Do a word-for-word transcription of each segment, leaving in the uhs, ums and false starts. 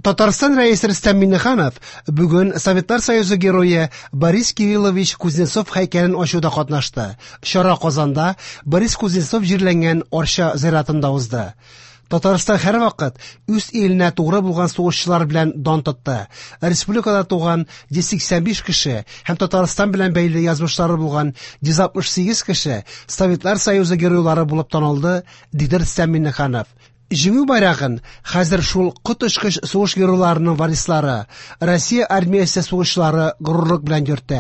Татарстан Рәисе Рөстәм Миңнеханов бүген Советлар Союзы герое Борис Кириллович Кузнецов һәйкәлен ачуда катнашты. Чара Казанда Борис Кузнецов җирләнгән Арча зиратында узды. Татарстан һәрвакыт үз иленә тугры булган сугышчылар белән дан тотты. Республикада туган йөз сиксән биш кеше һәм Татарстан белән бәйле язмышлары булган йөз алтмыш сигез кеше Советлар Союзы геройлары булып танылды, диде Рөстәм Миңнеханов. Җиңү байрагын хәзер шул коточкыч сугыш геройларының варислары, Россия армиясе сугышчылары горурлык белән йөртә.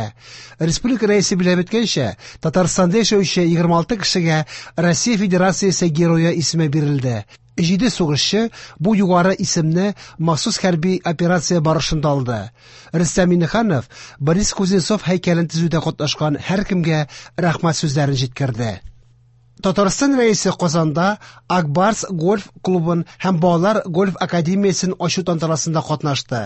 Республика рәисе билгеләп үткәнчә, Татарстанда яшәүче егерме алты кешегә Россия Федерациясе герое исеме бирелде. Җиде сугышчы бу югары исемне махсус хәрби операция барышында алды. Рөстәм Миңнеханов Борис Кузнецов һәйкәлен төзүдә катнашкан һәркемгә рәхмәт сүзләрен җиткерде. Татарстан Рәисе Казанда Акбарс гольф клубын һәм балалар гольф академиясен ачу тантанасында катнашты.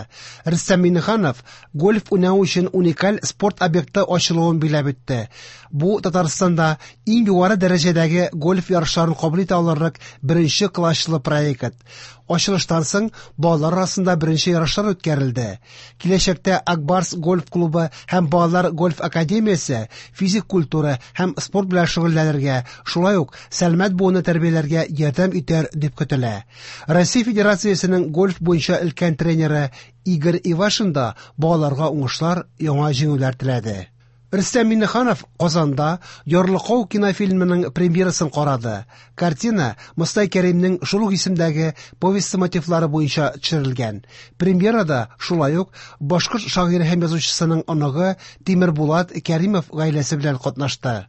Рөстәм Миңнеханов гольф уйнау өчен уникаль спорт объекты ачылуын билгеләп үтте. Бу Татарстанда иң югары дәрәҗәдәге гольф ярышларын кабул итә алырлык беренче класслы проект. Ачылыштан соң балалар арасында беренче ярышлар үткәрелде. Киләчәктә Акбарс гольф клубы һәм балалар гольф академиясе физик культура һәм спорт белән шөгыльләнергә, шулай ук сәламәт буынны тәрбияләргә ярдәм итәр дип көтелә. Россия Федерациясенең гольф буенча өлкән тренеры Игорь Ивашин да балаларга уңышлар, яңа җиңүләр теләде. Рөстәм Миңнеханов Казанда Ярлыкау кинофильмының премьерасын карады. Картина Мостай Кәримнең шул ук исемдәге повесте мотивлары буенча төшерелгән. Премьерада шулай ук башкорт шагыйре һәм язучысының оныгы Тимербулат Кәримов гаиләсе белән катнашты.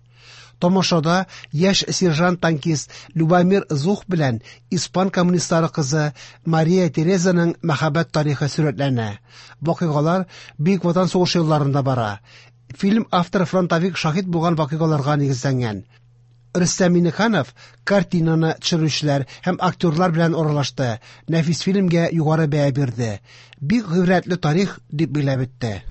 Тамашада яшь сержант-танкист Любомир Зух белән испан коммунистлары кызы Мария Терезаның мәхәббәт тарихы сурәтләнә. Вакыйгалар Бөек Ватан сугышы елларында бара. Фильм авторы фронтовик шаһит булган вакыйгаларга нигезләнгән. Рөстәм Миңнеханов картинаны төшерүчеләр һәм актерлар белән аралашты. Нәфис фильмгә югары бәя бирде. Бик гыйбрәтле тарих дип билгеләп үтте.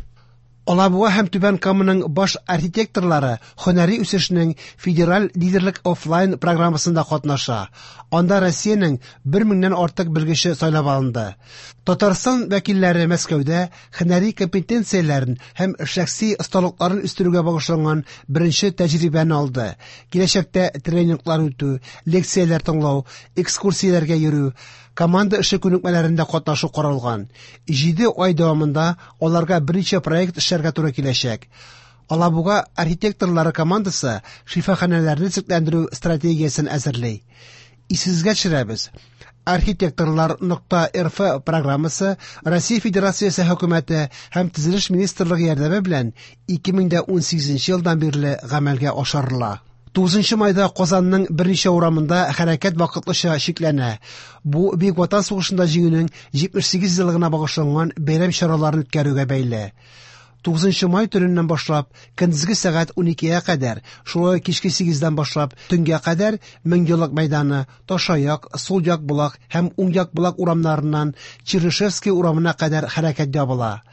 Алабуга һәм Түбән Каманың баш архитекторлары һөнәри үсешнең федераль лидерлык офлайн программасында катнаша. Анда Россиянең бер меңнән артык белгече сайлап алынды. Татарстан вәкилләре Мәскәүдә һөнәри компетенцияләрен һәм шәхси осталыкларын үстерүгә багышланган беренче тәҗрибәне алды. Киләчәктә тренинглар үтү, лекцияләр тыңлау, экскурсияләргә йөрү, команда эше күнекмәләрендә катнашу каралган. Җиде ай дәвамында аларга берничә проект эшләргә туры киләчәк. Алабуга архитекторлары командасы шифаханәләрне төзекләндерү стратегиясен әзерли. Исегезгә төшерәбез. Архитекторлар нокта эр эф программасы Россия Федерациясе хөкүмәте һәм Төзелеш министрлыгы ярдәме белән ике мең дә унсигезенче елдан бирле гамәлгә ашырыла. Тугызынчы майда Казанның берничә урамында хәрәкәт вакытлыча чикләнә. Бу Бөек Ватан сугышында җиңүнең җитмеш сигез еллыгына багышланган бәйрәм чараларын үткәрүгә бәйле. Тугызынчы май төненнән башлап көндезге сәгать уникегә кадәр, шулай ук кичке сигездән башлап төнгә кадәр Меңьеллык мәйданы, Ташаяк, Сул як Болак һәм Уң як Болак урамнарыннан Чернышевский урамына кадәр хәрәкәт ябыла.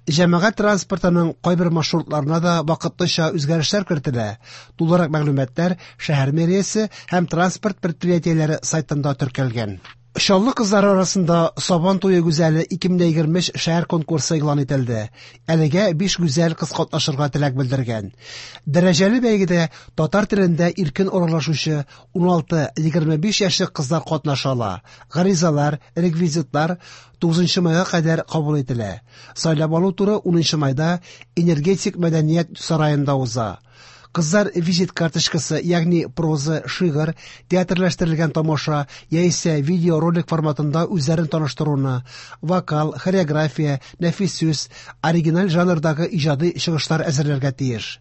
Җәмәгать транспортының кайбер маршрутларына да вакытлыча үзгәрешләр кертелә. Тулырак мәгълүматлар шәһәр мэриясе һәм транспорт предприятиеләре сайтында теркәлгән. Чаллы кызлары арасында Сабан туе гүзәле ике мең егерме өч шәһәр конкурсы игълан ителде. Әлегә биш гүзәл кыз катнашырга теләк белдергән. Дәрәҗәле бәйгедә татар телендә иркен аралашучы уналты егерме биш яшьлек кызлар катнаша ала. Гаризалар, реквизитлар тугызынчы майга кадәр кабул ителә. Сайлап алу туры унынчы майда Энергетик мәдәният сараенда уза. Кызлар визит карточкасы, ягъни проза, шигырь, театрлаштырылган тамаша яисә видеоролик форматында үзләрен таныштыруны, вокал, хореография, нәфис сүз, оригиналь жанрдагы иҗади чыгышлар әзерләргә тиеш.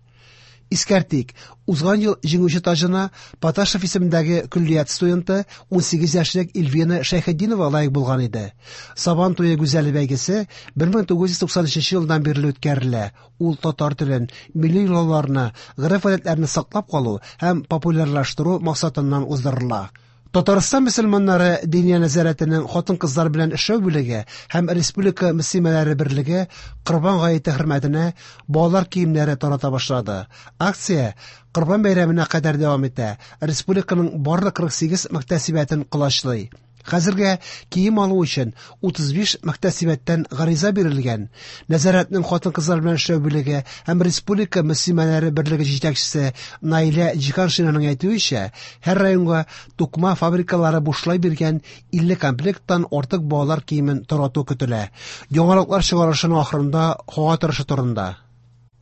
Искәртик, узган ел җиңүче таҗына Поташев исемендәге көллият студенты унсигез яшьлек Эльвина Шәйхетдинова лаек булган иде. Сабан туе гүзәле бәйгесе бер мең тугыз йөз туксан өченче елдан бирле үткәрелә. Ул татар телен, милли йолаларны, гореф-гадәтләрне саклап калу һәм популярлаштыру максатыннан уздырыла. Татарстан мөселманнары Диния нәзарәтенең хатын-кызлар белән эшләү бүлеге һәм Республика мөслимәләре берлеге Корбан гаете хөрмәтенә балалар киемнәре тарата башлады. Акция Корбан бәйрәменә кадәр дәвам итә. Республиканың барлык кырык сигез мөхтәсибәтен колачлый. Хәзергә кием алу өчен утыз биш мөхтәсибәттән гариза бирелгән. Нәзарәтнең хатын-кызлар белән эшләү бүлеге һәм Республика мөслимәләре берлеге җитәкчесе Наилә Җиһаншинаның әйтүенчә, һәр районга тукыма фабрикалары бушлай биргән илле комплекттан артык балалар киемен тарату көтелә. Яңалыклар чыгарылышының ахырында һава торышы турында.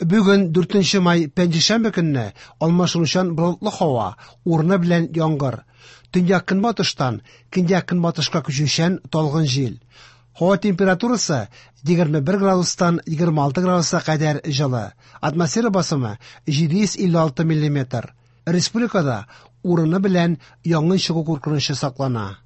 Бүген дүртенче май пәнҗешәмбе көнне алмашынучан болытлы һава, урыны белән яңгыр. Төньяк көнбатыштан көньяк көнбатышка күчүчән талгын җил. Һава температурасы егерме бер градустан егерме алты градуска кадәр җылы. Атмосфера басымы җиде йөз илле алты миллиметр. Республикада урыны белән янгын чыгу куркынычы саклана.